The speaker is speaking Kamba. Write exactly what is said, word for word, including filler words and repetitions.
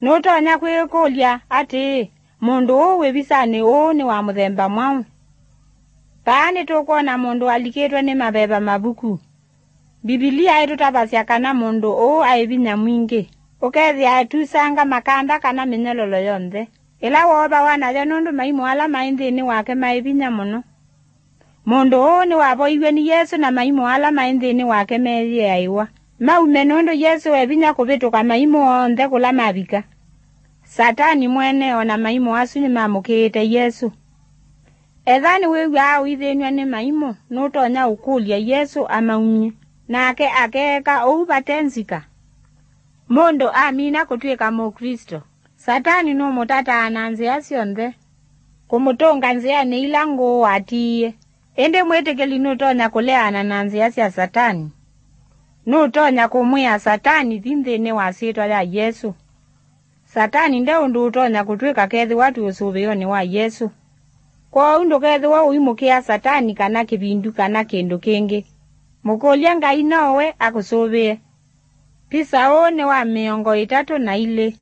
Nũtonya kwĩkũlya atĩĩ, 'Mũndũ ũũ wĩ visanĩ ũũ nĩ wa mũthemba mwaũ?' Vaa nĩtũkwona mũndũ alikĩtwe nĩ maveva mavuku. Mbivilia ĩtũtavasya kana mũndũ ũũ aĩ vinya mwingĩ, ũkethĩa atusanga makanda kana mĩnyololo yonthe, ĩla woovawa nayo nũndũ maimũ ala maĩ nthĩnĩ wake maĩ vinya mũno. Mũndũ ũũ nĩwavoiw'e nĩ Yesũ, na maimũ ala maĩ nthĩnĩ wake meeyĩaĩwa maume, nũndũ Yesũ e vinya kũvĩtũka maimũ onthe kũla mavika. Satani mwene o na maimũ asu nĩmamũkĩĩte Yesũ. Ethĩwa nĩwĩw'aa ũithĩnw'a nĩ maimũ, nũtonya ũkũlya Yesũ amaumye, nake akeeka ũu vate nzika. Mũndũ amina kũtw'ĩka Mũklĩsto, Satani nũmũtataa na nzĩa syonthe kũmũtũnga nzĩanĩ ila ngũũ atiie. Ĩndĩ mwĩtĩkĩli nũtonya kũleana na nzĩa sya Satani. Nũtonya kũmwĩa Satani, "Thi nthĩnĩ wa syĩtwa ya Yesũ." Satani nde ũndũ ũtonya kũtw'ĩka kethĩwa twĩ ũsũvĩonĩ wa Yesũ. Kwoou ndũkethĩwe ũimũkĩa Satani kana kĩvindu kana kĩndũ kĩngĩ. Mũkũlye Ngai no we akũsũvĩe. Pisa ũũ nĩ wa mĩongo ĩtatũ na ilĩ.